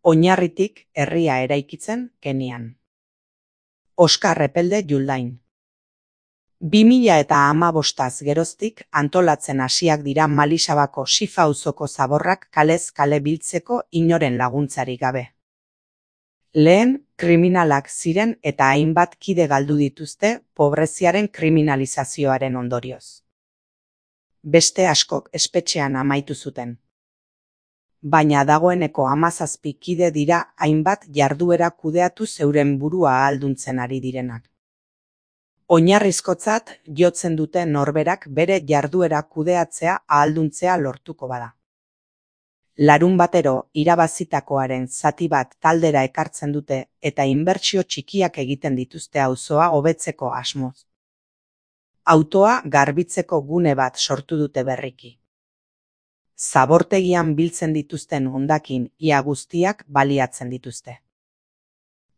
Oinarritik herria eraikitzen Kenian. Oskar Epelde Juldain. 2015az geroztik antolatzen hasiak dira Malisabako Sifa auzoko zaborrak kalez kale biltzeko inoren laguntzarik gabe. Lehen, kriminalak ziren eta hainbat kide galdu dituzte pobreziaren kriminalizazioaren ondorioz. Beste askok espetxean amaitu zuten. Baina dagoeneko 17 kide dira hainbat jarduera kudeatu zeuren burua ahalduntzen ari direnak. Oinarrizkotzat jotzen dute norberak bere jarduera kudeatzea ahalduntzea lortuko bada. Larunbatero irabazitakoaren zati bat taldera ekartzen dute eta inbertsio txikiak egiten dituzte auzoa hobetzeko asmoz. Autoa garbitzeko gune bat sortu dute berriki. Zabortegian biltzen dituzten hondakin ia guztiak baliatzen dituzte.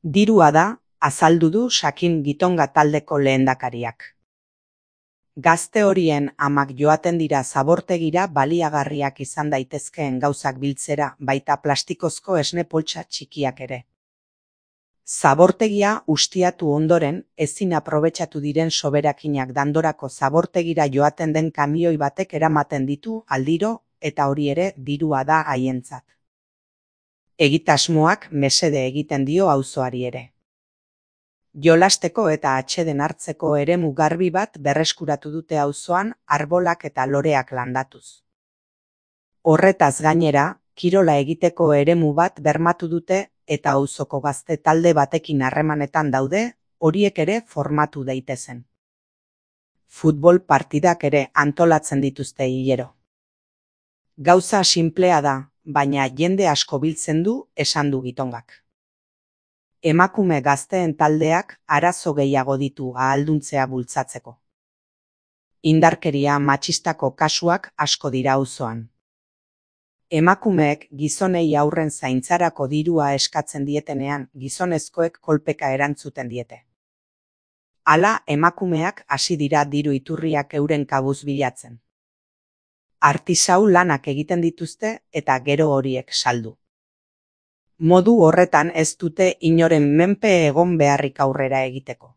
Dirua da, azaldu du Sakin Gitonga taldeko lehendakariak. Gazte horien amak joaten dira zabortegira baliagarriak izan daitezkeen gauzak biltzera, baita plastikozko esne poltsa txikiak ere. Zabortegia ustiatu ondoren, ezin aprobetxatu diren soberakinak dandorako zabortegira joaten den kamioi batek eramaten ditu aldiro, eta hori ere dirua da haientzat. Egitasmoak mesede egiten dio auzoari ere. Jolasteko eta atseden hartzeko eremu garbi bat berreskuratu dute auzoan arbolak eta loreak landatuz. Horretaz gainera, kirola egiteko eremu bat bermatu dute eta auzoko gazte talde batekin harremanetan daude, horiek ere formatu daitezen. Futbol partidak ere antolatzen dituzte hilero. Gauza sinplea da, baina jende asko biltzen du, esan du Gitongak. Emakume gazteen taldeak arazo gehiago ditu ahalduntzea bultzatzeko. Indarkeria matxistako kasuak asko dira auzoan. Emakumeek gizonei aurren zaintzarako dirua eskatzen dietenean, gizonezkoek kolpeka erantzuten diete. Hala, emakumeak hasi dira diru iturriak euren kabuz bilatzen. Artisau lanak egiten dituzte eta gero horiek saldu. Modu horretan ez dute inoren menpe egon beharrik aurrera egiteko.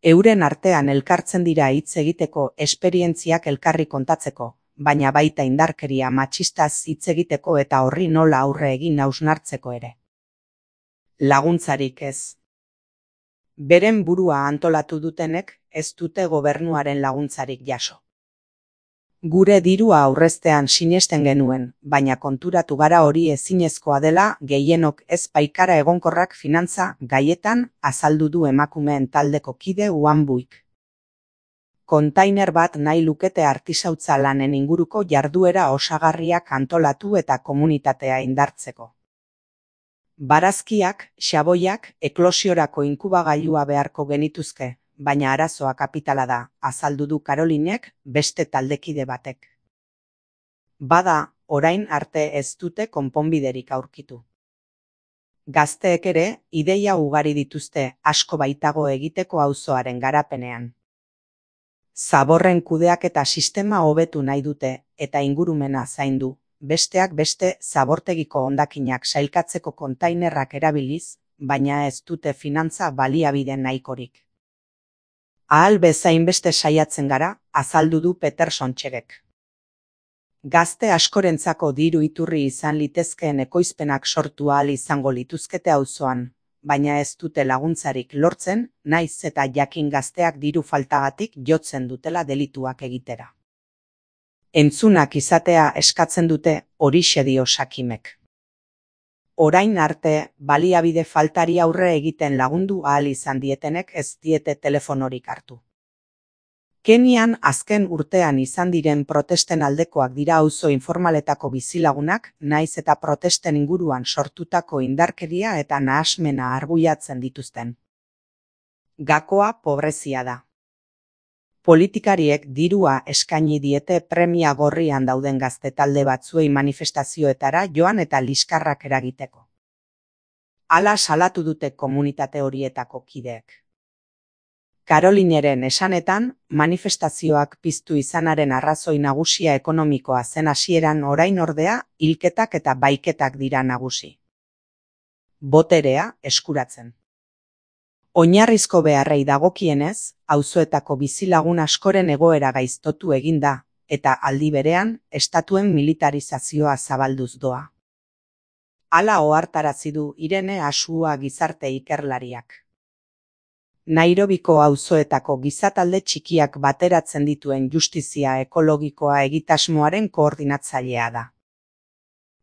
Euren artean elkartzen dira hitz egiteko esperientziak elkarri kontatzeko, baina baita indarkeria matxistaz hitz egiteko eta horri nola aurre egin hausnartzeko ere. Laguntzarik ez. Beren burua antolatu dutenek ez dute gobernuaren laguntzarik jaso. Gure dirua aurreztean sinesten genuen, baina konturatu gara hori ezinezkoa dela gehienok ez paikara egonkorrak finantza gaietan azaldu du emakumeen taldeko kide Uanbuik. Kontainer bat nahi lukete artisautza lanen inguruko jarduera osagarriak antolatu eta komunitatea indartzeko. Barazkiak, xaboiak, eklosiorako inkubagailua beharko genituzke. Baina arazoa kapitala da, azaldu du Karolinek beste taldekide batek. Bada, orain arte ez dute konponbiderik aurkitu. Gazteek ere, ideia ugari dituzte asko baitago egiteko auzoaren garapenean. Zaborren kudeaketa sistema hobetu nahi dute eta ingurumena zaindu, besteak beste zabortegiko hondakinak sailkatzeko kontainerrak erabiliz, baina ez dute finantza baliabide nahikorik. Ahal bezain beste saiatzen gara, azaldu du Peterson Txegek. Gazte askorentzako diru iturri izan litezkeen ekoizpenak sortu ahal izango lituzkete auzoan, baina ez dute laguntzarik lortzen, naiz eta jakin gazteak diru faltagatik jotzen dutela delituak egitera. Entzunak izatea eskatzen dute horixe dio Sakimek. Orain arte, baliabide faltari aurre egiten lagundu ahal izan dietenek ez diete telefonorik hartu. Kenian azken urtean izan diren protesten aldekoak dira auzo informaletako bizilagunak, naiz eta protesten inguruan sortutako indarkeria eta nahasmena arbuiatzen dituzten. Gakoa pobrezia da. Politikariek dirua eskaini diete premia gorrian dauden gazte talde batzuei manifestazioetara joan eta liskarrak eragiteko. Hala salatu dute komunitate horietako kideek. Karolineren esanetan, manifestazioak piztu izanaren arrazoi nagusia ekonomikoa zen hasieran, orain ordea, hilketak eta baiketak dira nagusi. boterea eskuratzen. Oinarrizko beharrei dagokienez, auzoetako bizilagun askoren egoera gaiztotu egin da, eta aldi berean, estatuen militarizazioa zabalduz doa. Hala ohartarazi du Irene Asua gizarte ikerlariak. Nairobiko auzoetako gizatalde txikiak bateratzen dituen justizia ekologikoa egitasmoaren koordinatzailea da.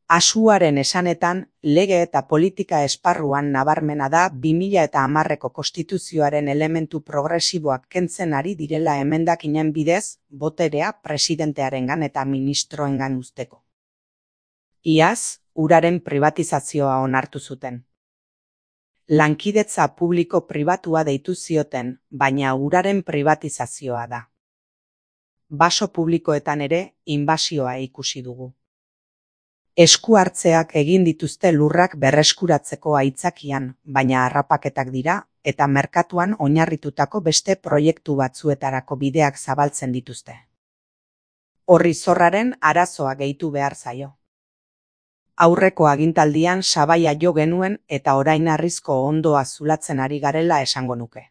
Asuaren esanetan, lege eta politika esparruan nabarmena da 2010ko konstituzioaren elementu progresiboak kentzen ari direla emendakinen bidez, boterea presidentearengan eta ministroengan uzteko. Iaz, uraren pribatizazioa onartu zuten. Lankidetza publiko-pribatua deitu zioten, baina uraren pribatizazioa da. Baso publikoetan ere, inbasioa ikusi dugu. Esku hartzeak egin dituzte lurrak berreskuratzeko aitzakian, baina harrapaketak dira, eta merkatuan oinarritutako beste proiektu batzuetarako bideak zabaltzen dituzte. Horri zorraren arazoa gehitu behar zaio. Aurreko agintaldian sabaia jo genuen eta orain harrizko ondoa zulatzen ari garela esango nuke.